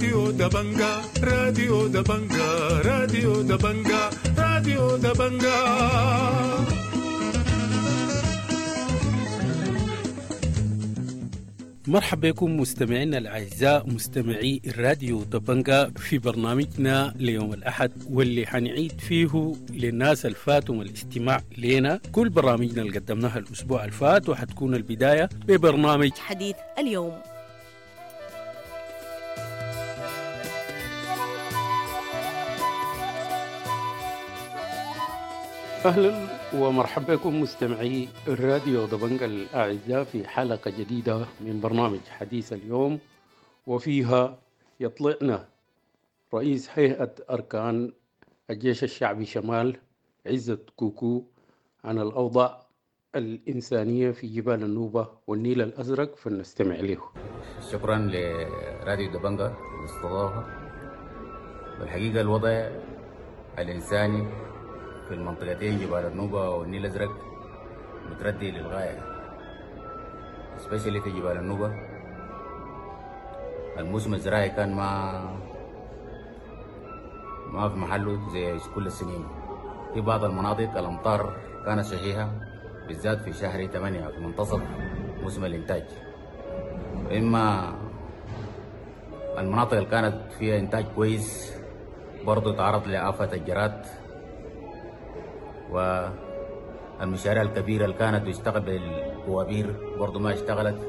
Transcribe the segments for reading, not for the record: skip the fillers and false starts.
راديو دبنجا، راديو دبنجا، راديو دبنجا، راديو دبنجا. مرحبا بكم مستمعينا الأعزاء مستمعي الراديو دبنجا في برنامجنا ليوم الأحد، واللي حنعيد فيه للناس الفاتهم الاستماع لنا كل برامجنا اللي قدمناها الأسبوع الفات، وحتكون البداية ببرنامج حديث اليوم. أهلا ومرحبا بكم مستمعي الراديو دبنجا الأعزاء في حلقة جديدة من برنامج حديث اليوم، وفيها يطلعنا رئيس هيئة أركان الجيش الشعبي شمال عزت كوكو عن الأوضاع الإنسانية في جبال النوبة والنيل الأزرق، فلنستمع له. شكرا لراديو دبنجا الاستضافة. والحقيقة الوضع الإنساني في المنطقتين جبال النوبة والنيل الأزرق متردي للغاية، especially في جبال النوبة. الموسم الزراعي كان ما في محله زي كل السنين. في بعض المناطق الأمطار كانت شحيحة، بالذات في شهر 8 في منتصف موسم الإنتاج. إما المناطق اللي كانت فيها إنتاج كويس برضو تعرض لآفة الجراد، والمشاريع الكبيرة اللي كانت بتشتغل بالبوابير برضو ما اشتغلت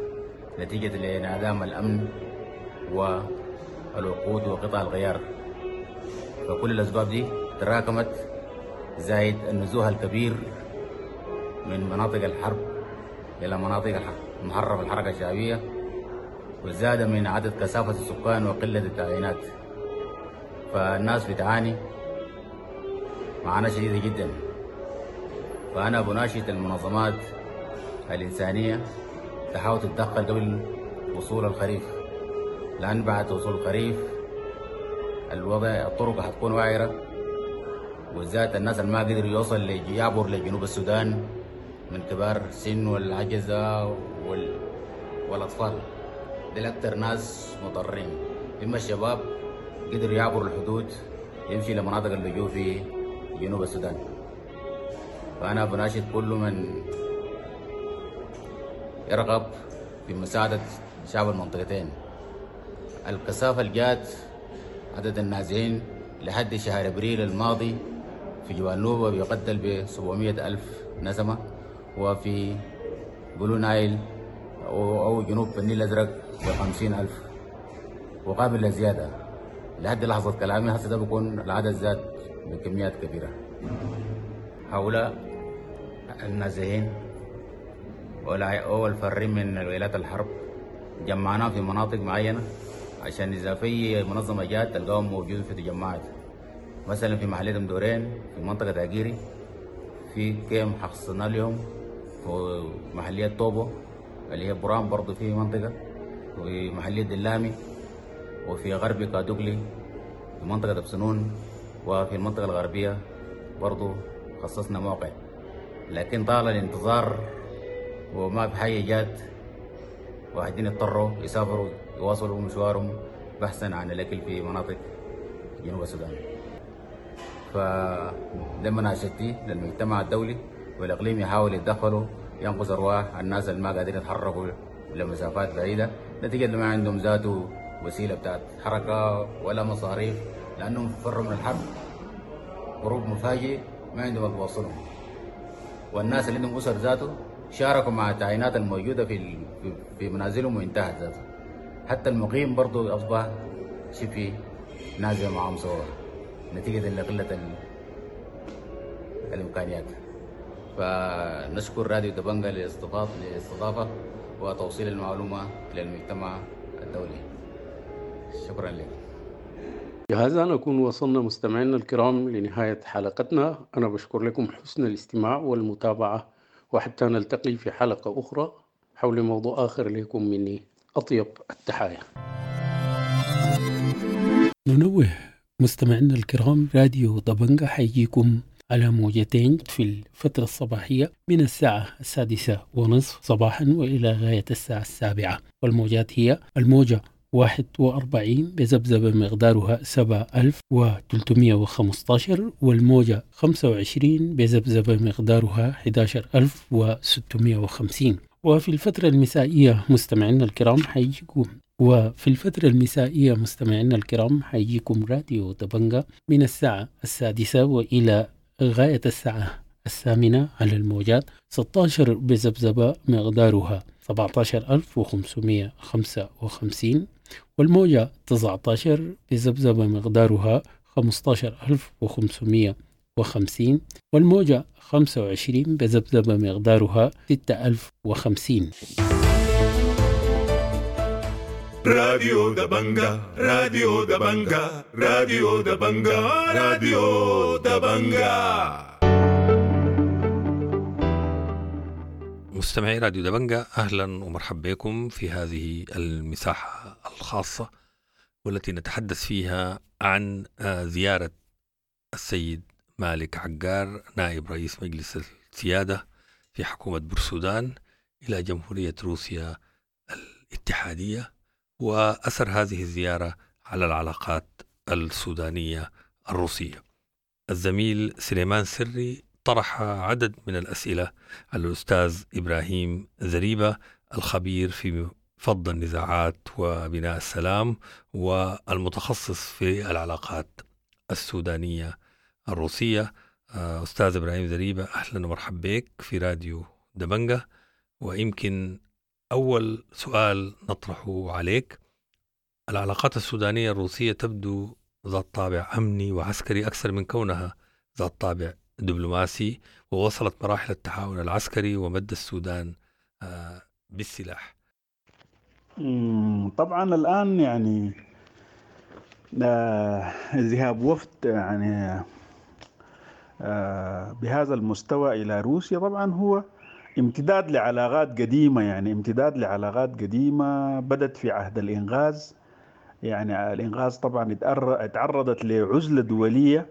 نتيجة لانعدام الأمن والوقود وقطع الغيار. فكل الأسباب دي تراكمت، زائد النزوح الكبير من مناطق الحرب إلى مناطق المحررة الحركة الشعبية، وزاد من عدد كثافة السكان وقلة التعيينات. فالناس بتعاني معاناة شديدة جدا. فأنا بناشد المنظمات الإنسانية تحاول تتدخل قبل وصول الخريف، لأن بعد وصول الخريف الوضع الطرق هتكون وعرة، وبالذات الناس اللي ما قدروا يوصل يعبر لجنوب السودان من كبار السن والعجزة والأطفال، دول أكتر ناس مضرين. إما الشباب قدروا يعبروا الحدود يمشي لمناطق اللجوء في جنوب السودان. فأنا بناشد كل من يرغب في مساعدة شعب المنطقتين. الكثافة الجات عدد النازحين لحد شهر أبريل الماضي في جبال نوبة بيقدر ب 700,000 نسمة، وفي بلو نايل أو جنوب النيل الأزرق ب 50,000، وقابل للزيادة. لحد لحظة كلامي هسه ده بيكون العدد زاد بكميات كبيرة. هؤلاء النازحين أو الفارين من ولايات الحرب جمعناهم في مناطق معينة، عشان إذا في منظمة جات تلقاهم موجودين في تجمعات. مثلا في محلية مدورين في منطقة أجيري في كيم حصلنا لهم، في محلية طوبو اللي هي برام برضو في منطقة، وفي محلية دلامي، وفي غرب كادوغلي في منطقة بسنون، وفي المنطقة الغربية برضو خصصنا موقع. لكن طال الانتظار وما في حاجة جات، واحدين اضطروا يسافروا يواصلوا مشوارهم بحثا عن الأكل في مناطق جنوب السودان. فده مناشدتي للمجتمع الدولي والإقليم يحاول يتدخلوا ينقذ أرواح الناس اللي ما قادرين يتحركوا لمسافات بعيدة، نتيجة ما عندهم ذاته وسيلة بتاعت حركة ولا مصاريف، لأنهم فروا من الحرب هروب مفاجئ ما عندهم اللي بيوصلهم. والناس اللي عندهم أسر ذاته شاركوا مع التعيينات الموجودة في منازلهم وانتهت ذاته. حتى المقيم برضو أصبح شبه نازل معهم سوا نتيجة لقلة الإمكانيات. فنشكر راديو دبنجا للاستضافة وتوصيل المعلومة للمجتمع الدولي. شكرا لك. بهذا نكون وصلنا مستمعينا الكرام لنهاية حلقتنا. أنا بشكر لكم حسن الاستماع والمتابعة، وحتى نلتقي في حلقة أخرى حول موضوع آخر. لكم مني أطيب التحايا. ننوه مستمعينا الكرام، راديو دبنجا حيجيكم على موجتين في الفترة الصباحية من الساعة 6:30 صباحا وإلى غاية الساعة 7، والموجات هي الموجة 41 بذبذبة مقدارها 7315، والموجة 25 بذبذبة مقدارها 11650. وفي الفترة المسائية مستمعينا الكرام حيجيكم وفي الفترة المسائية مستمعينا الكرام حيجيكم راديو دبنجا من الساعة 6 وإلى غاية الساعة 8 على الموجات 16 بذبذبة مقدارها 17555، والموجة 19 بذبذبة مقدارها 15550، والموجة 25 بذبذبة مقدارها 6050. راديو دبنجا، راديو دبنجا، راديو دبنجا، راديو دبنجا. مستمعي راديو دبنجا، أهلا ومرحبا بكم في هذه المساحة الخاصة والتي نتحدث فيها عن زيارة السيد مالك عقار نائب رئيس مجلس السيادة في حكومة بورسودان إلى جمهورية روسيا الاتحادية، وأثر هذه الزيارة على العلاقات السودانية الروسية. الزميل سليمان سري طرح عدد من الأسئلة على الأستاذ إبراهيم زريبة الخبير في فض النزاعات وبناء السلام والمتخصص في العلاقات السودانية الروسية. أستاذ إبراهيم زريبة، أهلا ومرحبا بك في راديو دبنجة. ويمكن أول سؤال نطرحه عليك، العلاقات السودانية الروسية تبدو ذات طابع أمني وعسكري أكثر من كونها ذات طابع دبلوماسي، ووصلت مراحل التعاون العسكري ومد السودان بالسلاح. طبعا الآن يعني ذهاب وفد يعني بهذا المستوى إلى روسيا طبعا هو امتداد لعلاقات قديمة، يعني امتداد لعلاقات قديمة بدت في عهد الإنغاز. يعني الإنغاز طبعا اتعرضت لعزلة دولية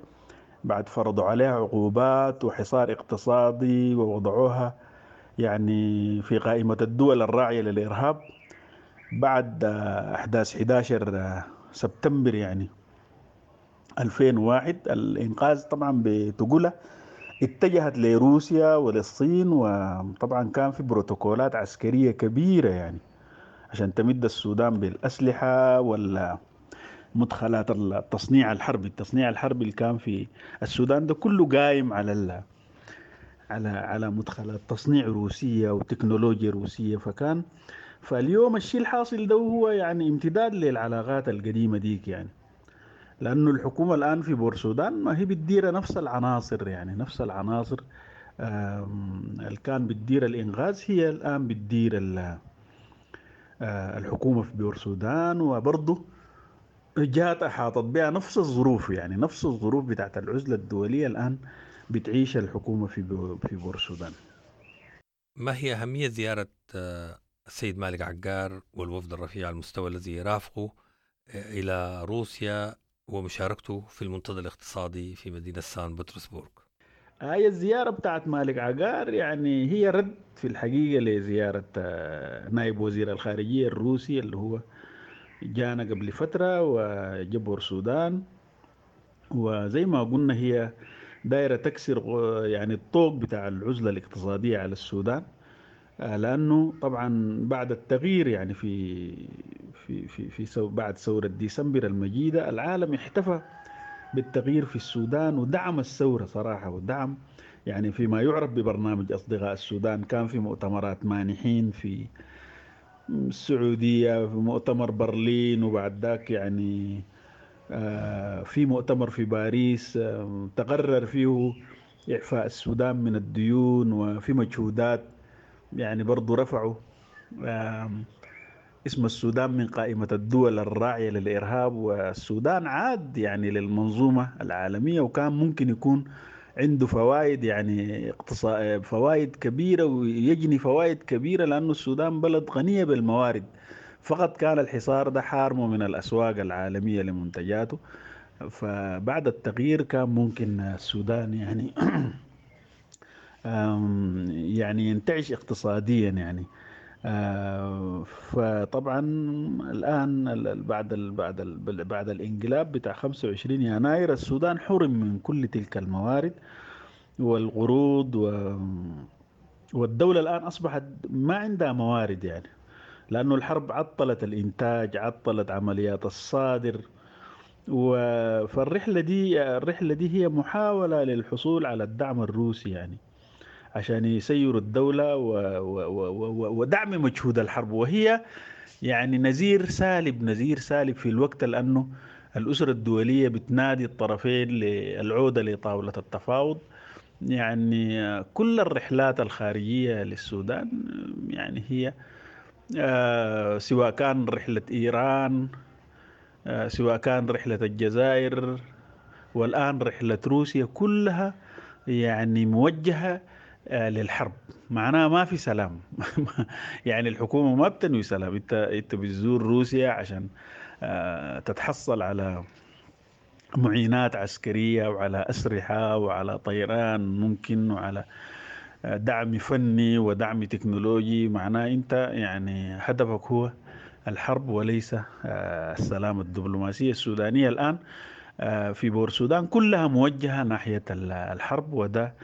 بعد فرضوا عليها عقوبات وحصار اقتصادي ووضعوها يعني في قائمة الدول الراعية للإرهاب بعد أحداث 11 سبتمبر يعني 2001. الإنقاذ طبعا بتقولها اتجهت لروسيا وللصين، وطبعا كان في بروتوكولات عسكرية كبيرة يعني عشان تمد السودان بالأسلحة ولا مدخلات التصنيع الحربي. التصنيع الحربي اللي كان في السودان ده كله قايم على على على مدخلات تصنيع روسية وتكنولوجيا روسية. فاليوم الشيء الحاصل ده هو يعني امتداد للعلاقات القديمة ديك، يعني لأنه الحكومة الآن في بورسودان ما هي بتدير نفس العناصر، يعني نفس العناصر اللي كان بتدير الإنغاز هي الآن بتدير الحكومة في بورسودان، وبرضه جات أحاطت بها نفس الظروف، يعني نفس الظروف بتاعت العزلة الدولية الآن بتعيش الحكومة في بورسودان. ما هي أهمية زيارة السيد مالك عقار والوفد الرفيع المستوى الذي يرافقه إلى روسيا ومشاركته في المنتدى الاقتصادي في مدينة سان بطرسبورغ؟ هاي الزيارة بتاعت مالك عقار يعني هي رد في الحقيقة لزيارة نائب وزير الخارجية الروسي اللي هو جانا قبل فترة وجبور السودان، وزي ما قلنا هي دايرة تكسر يعني الطوق بتاع العزلة الاقتصادية على السودان، لأنه طبعا بعد التغيير يعني في في في في بعد ثورة ديسمبر المجيدة العالم احتفى بالتغيير في السودان ودعم الثورة صراحة، ودعم يعني فيما يعرف ببرنامج أصدقاء السودان. كان في مؤتمرات مانحين في السعودية، في مؤتمر برلين، وبعد ذاك يعني في مؤتمر في باريس تقرر فيه إعفاء السودان من الديون، وفي مجهودات يعني برضو رفعوا اسم السودان من قائمة الدول الراعية للإرهاب، والسودان عاد يعني للمنظومة العالمية، وكان ممكن يكون عنده فوائد يعني فوائد كبيرة ويجني فوائد كبيرة، لأنه السودان بلد غنية بالموارد، فقط كان الحصار ده حارمه من الأسواق العالمية لمنتجاته. فبعد التغيير كان ممكن السودان يعني يعني ينتعش اقتصاديا يعني. فطبعا الآن بعد الانقلاب بتاع 25 يناير السودان حرم من كل تلك الموارد والقروض، والدولة الآن أصبحت ما عندها موارد يعني، لأنه الحرب عطلت الإنتاج، عطلت عمليات الصادر. فالرحلة دي، الرحلة دي هي محاولة للحصول على الدعم الروسي يعني عشان يسيروا الدولة ودعم مجهود الحرب، وهي يعني نزير سالب، نزير سالب في الوقت، لأنه الأسرة الدولية بتنادي الطرفين للعودة لطاولة التفاوض. يعني كل الرحلات الخارجية للسودان يعني هي سواء كان رحلة إيران، سواء كان رحلة الجزائر، والآن رحلة روسيا، كلها يعني موجهة للحرب. معناها ما في سلام. يعني الحكومة ما بتنوي سلام. انت بتزور روسيا عشان تتحصل على معينات عسكرية وعلى أسلحة وعلى طيران ممكن وعلى دعم فني ودعم تكنولوجي. معناه انت يعني هدفك هو الحرب وليس السلام. الدبلوماسية السودانية الآن في بور السودان كلها موجهة ناحية الحرب، وده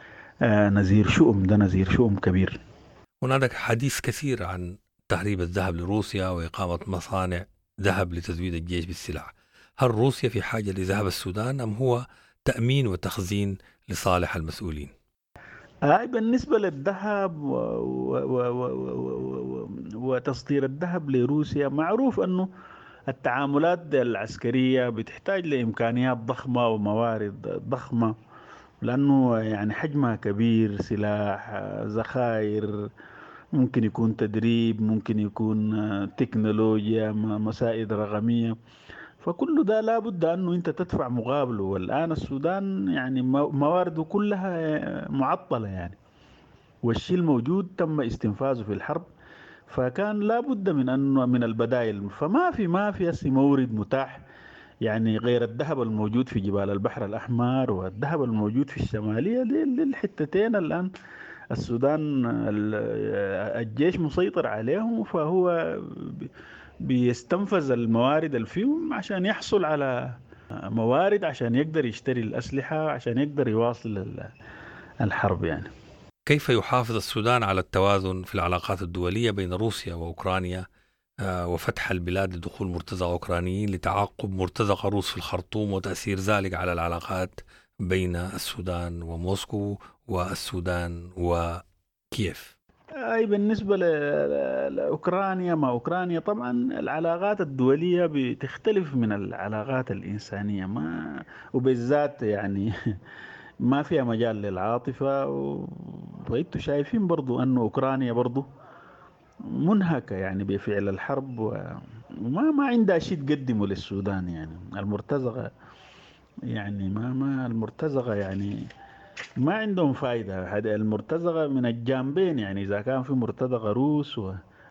نزير شؤم، ده نزير شؤم كبير. هناك حديث كثير عن تهريب الذهب لروسيا وإقامة مصانع ذهب لتزويد الجيش بالسلع. هل روسيا في حاجة لذهب السودان أم هو تأمين وتخزين لصالح المسؤولين؟ هاي بالنسبة للذهب وتصدير الذهب لروسيا، معروف أنه التعاملات العسكرية بتحتاج لإمكانيات ضخمة وموارد ضخمة، لأنه يعني حجمها كبير، سلاح، ذخائر، ممكن يكون تدريب، ممكن يكون تكنولوجيا، مسائل رقمية، فكل ده لابد أنه أنت تدفع مقابله. والآن السودان يعني موارده كلها معطلة يعني، والشيء الموجود تم استنفاذه في الحرب، فكان لابد من أنه من البدائل. فما في، ما في هسه مورد متاح يعني غير الذهب الموجود في جبال البحر الأحمر والذهب الموجود في الشمالية. دي الحتتين الآن السودان الجيش مسيطر عليهم، فهو بيستنفذ الموارد اللي فيهم عشان يحصل على موارد عشان يقدر يشتري الأسلحة، عشان يقدر يواصل الحرب يعني. كيف يحافظ السودان على التوازن في العلاقات الدولية بين روسيا وأوكرانيا وفتح البلاد لدخول مرتزقة أوكرانيين لتعاقب مرتزقة روس في الخرطوم وتأثير ذلك على العلاقات بين السودان وموسكو والسودان وكييف؟ أي بالنسبة لأوكرانيا، ما أوكرانيا طبعا العلاقات الدولية بتختلف من العلاقات الإنسانية، ما وبالذات يعني ما فيها مجال للعاطفة. وانتوا شايفين برضو أنه أوكرانيا برضو منهكة يعني بفعل الحرب، وما ما عندها شيء تقدمه للسودان يعني. المرتزقة يعني ما المرتزقة يعني ما عندهم فايدة. هذا المرتزقة من الجانبين يعني، إذا كان في مرتزقة روس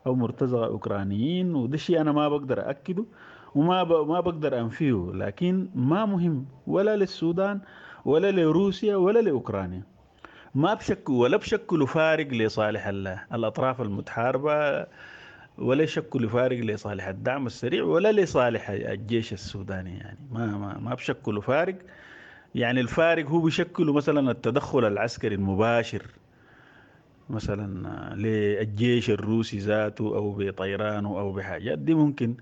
أو مرتزقة أوكرانيين، وده شيء أنا ما بقدر أكده وما ما بقدر أنفيه، لكن ما مهم ولا للسودان ولا لروسيا ولا لأوكرانيا. ما بشكلوا ولا بشكلوا فارق لصالح الأطراف المتحاربة، ولا يشكلوا فارق لصالح الدعم السريع ولا لصالح الجيش السوداني يعني. ما بشكلوا فارق يعني. الفارق هو بيشكلوا مثلا التدخل العسكري المباشر مثلا للجيش الروسي ذاته أو بطيرانه أو بحاجات دي ممكن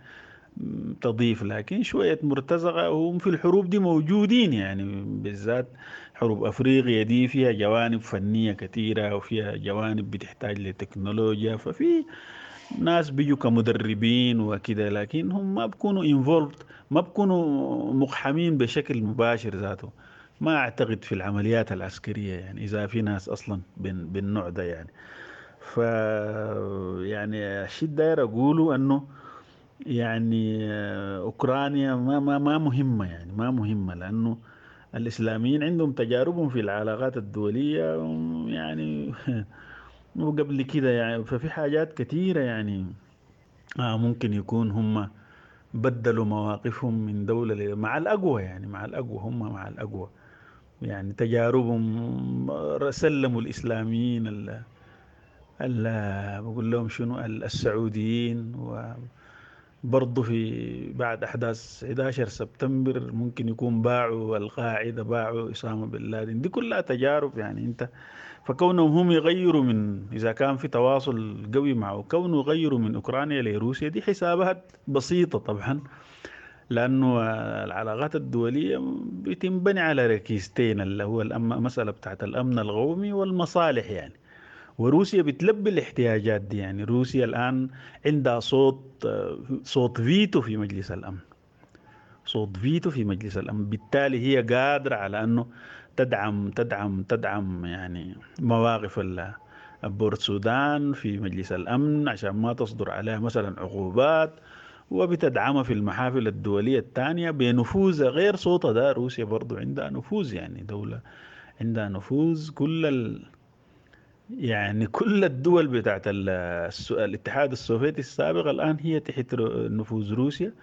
تضيف، لكن شوية مرتزقة هم في الحروب دي موجودين يعني، بالذات حروب أفريقيا دي فيها جوانب فنية كثيرة وفيها جوانب بتحتاج لتكنولوجيا، ففي ناس بيجوا كمدربين وكده، لكن هم ما بيكونوا involved، ما بيكونوا مقحمين بشكل مباشر ذاته. ما أعتقد في العمليات العسكرية يعني إذا في ناس أصلا بالنوع ده يعني. ف يعني الشيء الداير أقوله أنه يعني أوكرانيا ما ما ما مهمة يعني، ما مهمة، لأنه الإسلاميين عندهم تجاربهم في العلاقات الدولية يعني وقبل كده يعني، ففي حاجات كثيرة يعني ممكن يكون هم بدلوا مواقفهم من دولة مع الأقوى يعني، مع الأقوى، هم مع الأقوى يعني تجاربهم، سلموا الإسلاميين بقول لهم شنو السعوديين، وبرضه في بعد أحداث 11 سبتمبر ممكن يكون باعوا القاعدة، باعوا أسامة بن لادن. دي كلها تجارب يعني أنت، فكونهم هم يغيروا من، إذا كان في تواصل قوي معه، كونه يغيروا من أوكرانيا لروسيا دي حسابات بسيطة طبعا، لأنه العلاقات الدولية بتنبني على ركيزتين، اللي هو المسألة بتاعت الأمن القومي والمصالح يعني. وروسيا بتلبي الاحتياجات دي يعني. روسيا الآن عندها صوت فيتو في مجلس الأمن، صوت فيتو في مجلس الأمن، بالتالي هي قادرة على أنه تدعم تدعم تدعم يعني مواقف بورتسودان في مجلس الأمن عشان ما تصدر عليها مثلا عقوبات، وبتدعمها في المحافل الدولية الثانية بنفوذ غير صوتها ده. روسيا برضو عندها نفوذ يعني، دولة عندها نفوذ، كل يعني كل الدول بتاعت الاتحاد السوفيتي السابق الآن هي تحت نفوذ روسيا،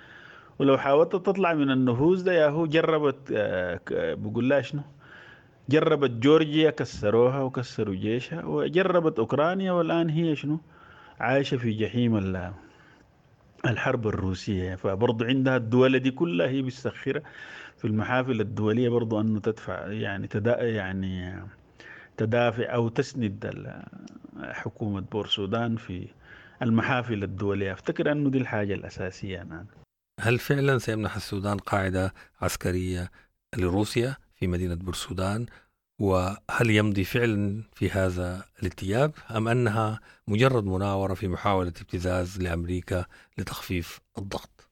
ولو حاولت تطلع من النفوذ ده يا هو جربت، بقول لها شنو، جربت جورجيا كسروها وكسروا جيشها، وجربت أوكرانيا، والآن هي شنو عايشة في جحيم الحرب الروسية. فبرضو عندها الدول دي كلها هي بتسخرها في المحافل الدولية برضو أنه تدفع يعني يعني تدافع أو تسند حكومة بورسودان في المحافل الدولية. أفتكر أنه دي الحاجة الأساسية الآن. هل فعلا سيمنح السودان قاعدة عسكرية لروسيا في مدينة بورسودان؟ وهل يمضي فعلا في هذا الاتجاه أم أنها مجرد مناورة في محاولة ابتزاز لأمريكا لتخفيف الضغط؟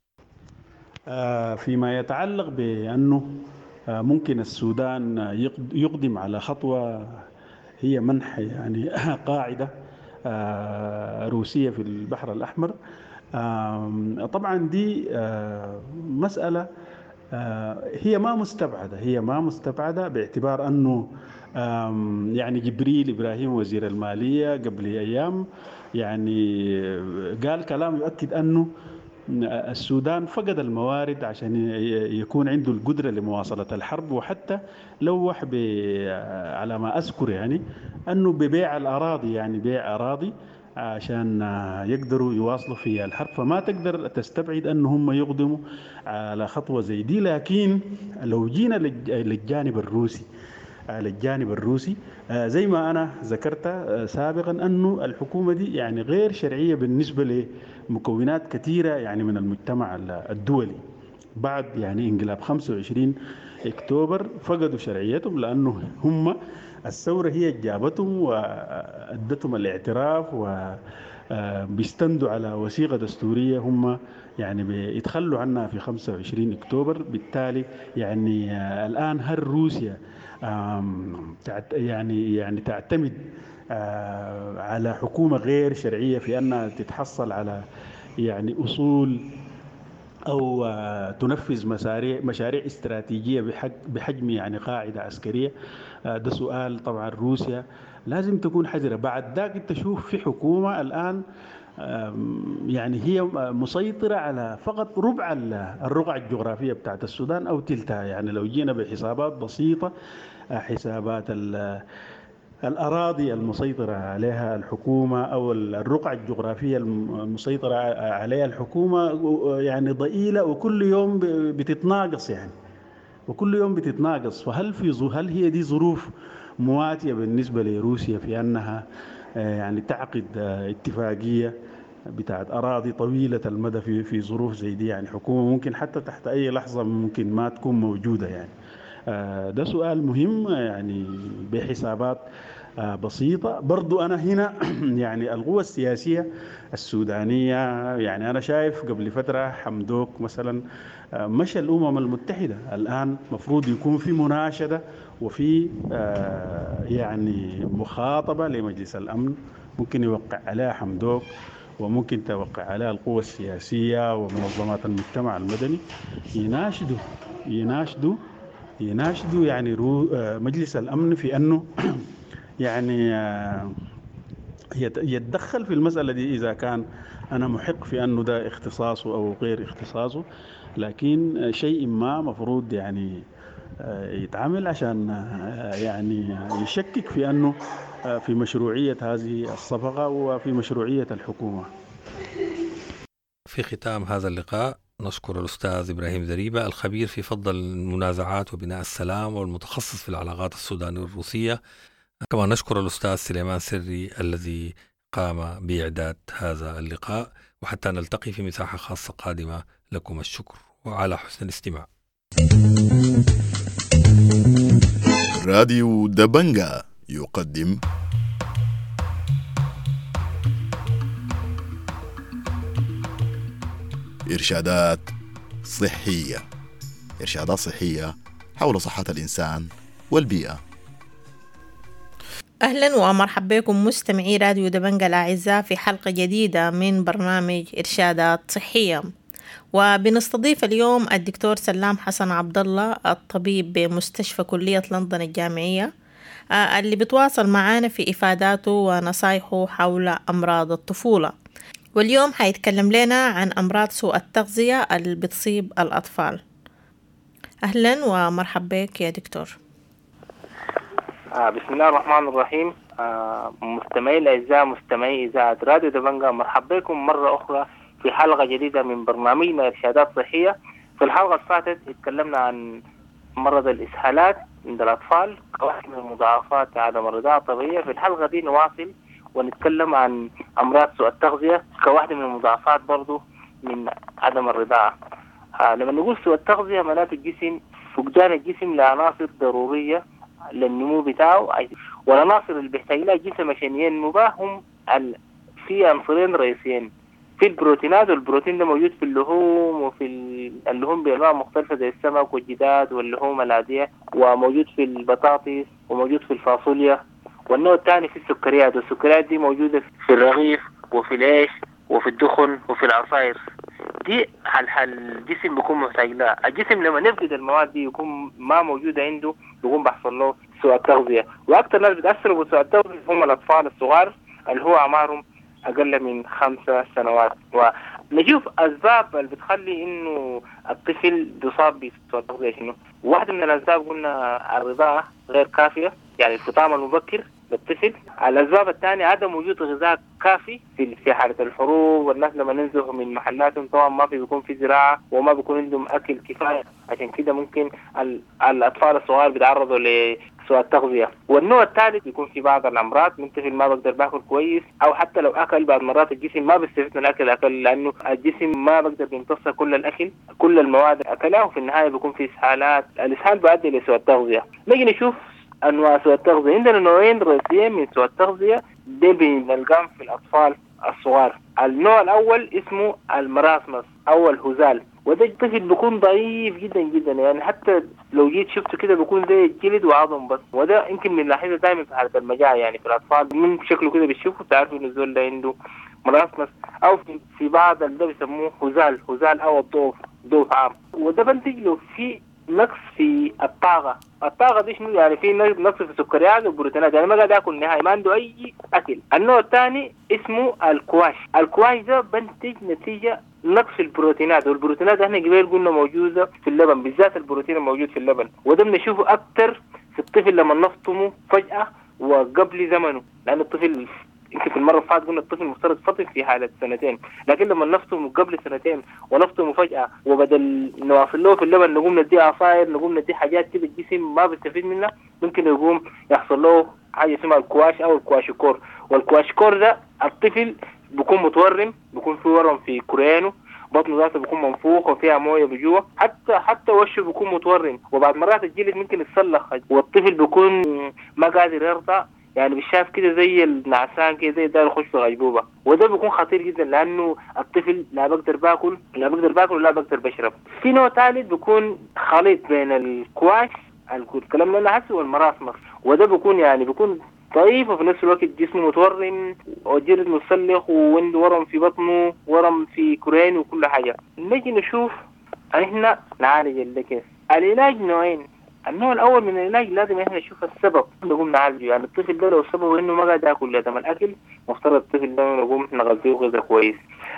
فيما يتعلق بأنه ممكن السودان يقدم على خطوة هي منح يعني قاعدة روسية في البحر الأحمر، طبعا دي مسألة هي ما مستبعدة، هي ما مستبعدة باعتبار أنه يعني جبريل إبراهيم وزير المالية قبل أيام يعني قال كلام يؤكد أنه السودان فقد الموارد عشان يكون عنده القدرة لمواصلة الحرب، وحتى لوح على ما أذكر يعني أنه ببيع الأراضي، يعني بيع أراضي عشان يقدروا يواصلوا في الحرب. فما تقدر تستبعد أن هم يقدموا على خطوة زي دي. لكن لو جينا للجانب الروسي، للجانب الروسي زي ما أنا ذكرت سابقا أنه الحكومة دي يعني غير شرعية بالنسبة لمكونات كثيرة يعني من المجتمع الدولي. بعد يعني انقلاب 25 أكتوبر فقدوا شرعيتهم، لأنه هم الثورة هي جابتهم وأدتهم الاعتراف وبيستندوا على وثيقة دستورية هم يعني بيتخلوا عنها في 25 أكتوبر. بالتالي يعني الآن هل روسيا يعني تعتمد على حكومة غير شرعية في أنها تتحصل على يعني أصول أو تنفذ مشاريع استراتيجية بحجم يعني قاعدة عسكرية؟ ده سؤال طبعا روسيا لازم تكون حذرة. بعد ذاك انت تشوف في حكومة الآن يعني هي مسيطرة على فقط ربع الرقعة الجغرافية بتاعت السودان أو تلتها. يعني لو جينا بحسابات بسيطة، حسابات الأراضي المسيطرة عليها الحكومة أو الرقعة الجغرافية المسيطرة عليها الحكومة يعني ضئيلة، وكل يوم بتتناقص يعني، وكل يوم بتتناقص. فهل هل هي دي ظروف مواتية بالنسبة لروسيا في أنها يعني تعقد اتفاقية بتاعت أراضي طويلة المدى في ظروف زي دي؟ يعني حكومة ممكن حتى تحت أي لحظة ممكن ما تكون موجودة يعني. ده سؤال مهم يعني بحسابات بسيطة. برضو أنا هنا يعني القوى السياسية السودانية، يعني أنا شايف قبل فترة حمدوك مثلا مشى الأمم المتحدة، الآن مفروض يكون في مناشدة وفي يعني مخاطبة لمجلس الأمن ممكن يوقع عليها حمدوك وممكن توقع عليها القوى السياسية ومنظمات المجتمع المدني، يناشدوا يعني مجلس الأمن في أنه يعني يتدخل في المسألة دي إذا كان أنا محق في أنه ده اختصاصه أو غير اختصاصه، لكن شيء ما مفروض يعني يتعامل عشان يعني يشكك في أنه في مشروعية هذه الصفقة وفي مشروعية الحكومة. في ختام هذا اللقاء نشكر الأستاذ إبراهيم زريبة الخبير في فض المنازعات وبناء السلام والمتخصص في العلاقات السودانية الروسية. كما نشكر الأستاذ سليمان سري الذي قام بإعداد هذا اللقاء، وحتى نلتقي في مساحة خاصة قادمة، لكم الشكر وعلى حسن الاستماع. راديو دبنجا يقدم إرشادات صحية. إرشادات صحية حول صحة الإنسان والبيئة. أهلا ومرحبا بكم مستمعي راديو دبنجا الأعزاء في حلقة جديدة من برنامج إرشادات صحية، وبنستضيف اليوم الدكتور سلام حسن عبد الله الطبيب بمستشفى كلية لندن الجامعية، اللي بتواصل معانا في إفاداته ونصايحه حول أمراض الطفولة. واليوم حيتكلم لنا عن أمراض سوء التغذية اللي بتصيب الأطفال. أهلا ومرحبا بك يا دكتور. بسم الله الرحمن الرحيم. مستمعي الأعزاء، مستمعي إذاعة راديو دبنجا، مرحبا بكم مرة أخرى في حلقة جديدة من برنامجنا إرشادات صحية. في الحلقة اللي فاتت اتكلمنا عن مرض الإسهالات عند الأطفال كواحد من المضاعفات عدم الرضاعة الطبيعية. في الحلقة دي نواصل ونتكلم عن أمراض سوء التغذية كواحدة من المضاعفات برضو من عدم الرضاعة. لما نقول سوء التغذية معناته الجسم، فقدان الجسم لعناصر ضرورية للنمو بتاعه، والعناصر اللي بيحتاج لها الجسم عشان ينمو بها هم في عنصرين رئيسيين، في البروتينات، والبروتين ده موجود في اللحوم وفي اللحوم بأنواع مختلفة زي السمك والجداد واللحوم العادية، وموجود في البطاطس وموجود في الفاصوليا. والنوع الثاني في السكريات، والسكريات دي موجودة في الرغيف وفي العيش وفي الدخن وفي العصائر. دي الجسم بيكون محتاج لها. الجسم لما نفقد المواد دي يكون ما موجودة عنده، بيكون بيحصل له سوء التغذية. وأكثر ناس بتأثروا بسوء التغذية هم الأطفال الصغار اللي هو أعمارهم أقل من 5 سنوات. ونشوف أسباب اللي بتخلي إنه الطفل بيصاب بسوء التغذية شنو. واحدة من الأسباب قلنا الرضاعة غير كافية، يعني الفطام المبكر للطفل. الأسباب الثانية عدم وجود غذاء كافي في حالة الحروب، والناس لما ننزلوا من محلاتهم طبعا ما في بيكون في زراعة وما بيكون عندهم أكل كفاية، عشان كده ممكن الأطفال الصغار بيتعرضوا لسوء التغذية. والنوع الثالث بيكون في بعض الأمراض، من طفل ما بقدر باكل كويس، أو حتى لو أكل بعض مرات الجسم ما بيستفيد من الأكل لأنه الجسم ما بقدر بيمتص كل الأكل، كل المواد أكلها، وفي النهاية بيكون في إسهالات. الإسهال بيؤدي لسوء التغذية. نيجي نشوف أنواع سوء التغذية. عندنا نوعين رئيسيين من سوء التغذية دي بنلقاهم في الأطفال الصغار. النوع الأول اسمه المراسمس أو الهزال، وده الطفل بيكون ضعيف جدا جدا، يعني حتى لو جيت شفته كده بيكون زي الجلد وعظم بس. وده يمكن بنلاحظه دائما في حالة المجاعة، يعني في الأطفال من شكله كده بتشوفه تعرفوا إنه الزول ده عنده مراسمس، أو في بعض ده بيسموه هزال أو الضعف، ضعف عام. وده بنتج له في نقص في الطاقة. الطاقة دي شنو؟ يعني في نقص في السكريات والبروتينات، يعني ما قاعد ياكل نهائي، ما عنده أي أكل. النوع الثاني اسمه الكواش. الكواش ده بنتج نتيجة نقص البروتينات، والبروتينات احنا قبل قلنا موجودة في اللبن، بالذات البروتين الموجود في اللبن، وده بنشوفه أكتر في الطفل لما نفطمه فجأة وقبل زمنه، لأن الطفل يمكن في المرة اللي فاتت قلنا الطفل المفترض فطم في حالة 2 سنين، لكن لما نفطمه قبل 2 سنين ونفطمه فجأة، وبدل نواصل له في اللبن نقوم نديه عصاير، نقوم نديه حاجات كده الجسم ما بيستفيد منها، ممكن يقوم يحصل له حاجة اسمها الكواش أو الكواشيكور. والكواشيكور ده الطفل بيكون متورم، بيكون في ورم في كريانه، بطنه ذاته بيكون منفوخ وفيها مويه بجوه، حتى وشه بيكون متورم، وبعد مرات الجلد ممكن يتسلخ، والطفل بيكون ما قادر يرضع، يعني بيشاف كده زي النعسان كده، زي ده يخش في غيبوبة. وده بيكون خطير جدا لأنه الطفل لا بقدر باكل، لا بقدر باكل ولا بقدر بشرب. في نوع ثالث بيكون خليط بين الكواش الكلام اللي أنا حاسه والمراسمس، وده بيكون يعني بيكون ضعيف وفي نفس الوقت جسمه متورم وجلد متسلخ وعنده ورم في بطنه، ورم في كرين وكل حاجة. نجي نشوف احنا نعالج ده كيف. العلاج نوعين. النوع الأول من العلاج لازم احنا نشوف السبب نقوم نعالجه، يعني الطفل ده لو سببه إنه ما قاعد ياكل لازم الأكل، مفترض الطفل ده نقوم نغذيه غذاء كويس.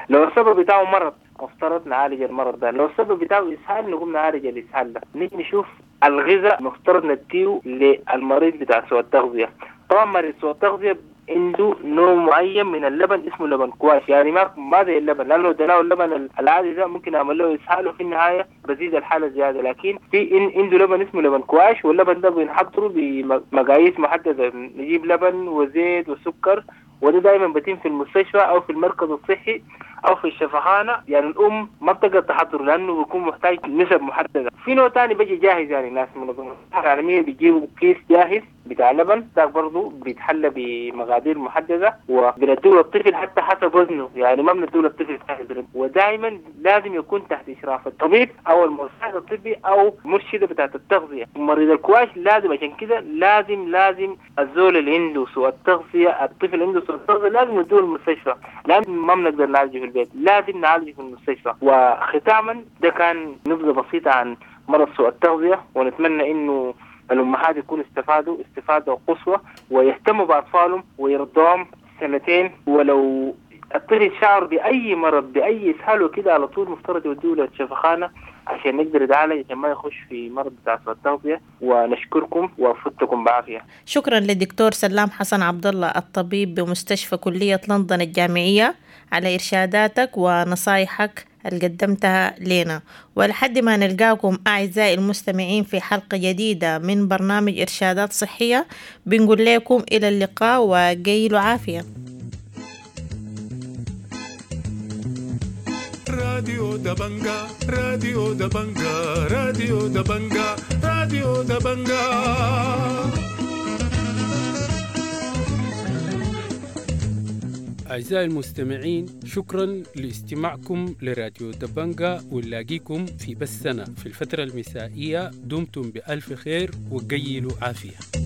لو السبب بتاعه مرض مفترض نعالج المرض ده، لو السبب بتاعه إسهال نقوم نعالج الإسهال ده. نيجي نشوف الغذاء مفترض نديه للمريض بتاع سوء التغذية. طبعا مريض سوء التغذية عنده نوع معين من اللبن اسمه لبن كواش، يعني ما زي اللبن، لانه لو اديناه اللبن العادي ده ممكن يعمل له اسهال وفي النهاية بزيد الحالة زيادة. لكن في عنده لبن اسمه لبن كواش، واللبن ده بنحضره بمقاييس محددة، نجيب لبن وزيت وسكر، وده دائما بيتم في المستشفى او في المركز الصحي او في الشفخانه. يعني الام ما بتقدر تحضره لانه بيكون محتاج نسب محددة. في نوع ثاني بيجي جاهز، يعني ناس منظمة الصحة العالمية بيجيبوا كيس جاهز بتاع لبن، ده برضه بيتحلى بمقادير محددة وبنديه للطفل حتى حسب وزنه، يعني ما بنديه للطفل ساهل. ودائما لازم يكون تحت اشراف الطبيب او المساعد الطبي او مرشده بتاعه التغذية. مريض الكواش لازم، عشان كده لازم الزول اللي عنده سوء التغذية، الطفل اللي عنده سوء التغذية لازم يدوه المستشفى، لان ما بنقدر نعالجه في البيت، لازم نعالجه في المستشفى. وختاما ده كان نبذه بسيطة عن مرض سوء التغذية، ونتمنى انه الأمهات يكونوا استفادوا استفادة قصوى ويهتموا بأطفالهم ويرضوهم سنتين. ولو الطفل شعر بأي مرض بأي إسهال وكده على طول مفترض يودوه للشفخانة عشان نقدر يتعالج، عشان ما يخش في مرض بتاع سوء التغذية. ونشكركم وفتكم بعافية. شكرا للدكتور سلام حسن عبد الله الطبيب بمستشفى كلية لندن الجامعية على إرشاداتك ونصايحك اللي قدمتها لنا. ولحد ما نلقاكم أعزائي المستمعين في حلقة جديدة من برنامج إرشادات صحية، بنقول لكم إلى اللقاء وقيلوا عافية. راديو دبنجا، راديو دبنجا، راديو دبنجا، راديو دبنجا. أعزائي المستمعين، شكرا لاستماعكم لراديو دبنجا، ونلاقيكم في بثنا في الفترة المسائية. دمتم بألف خير وقيلوا عافية.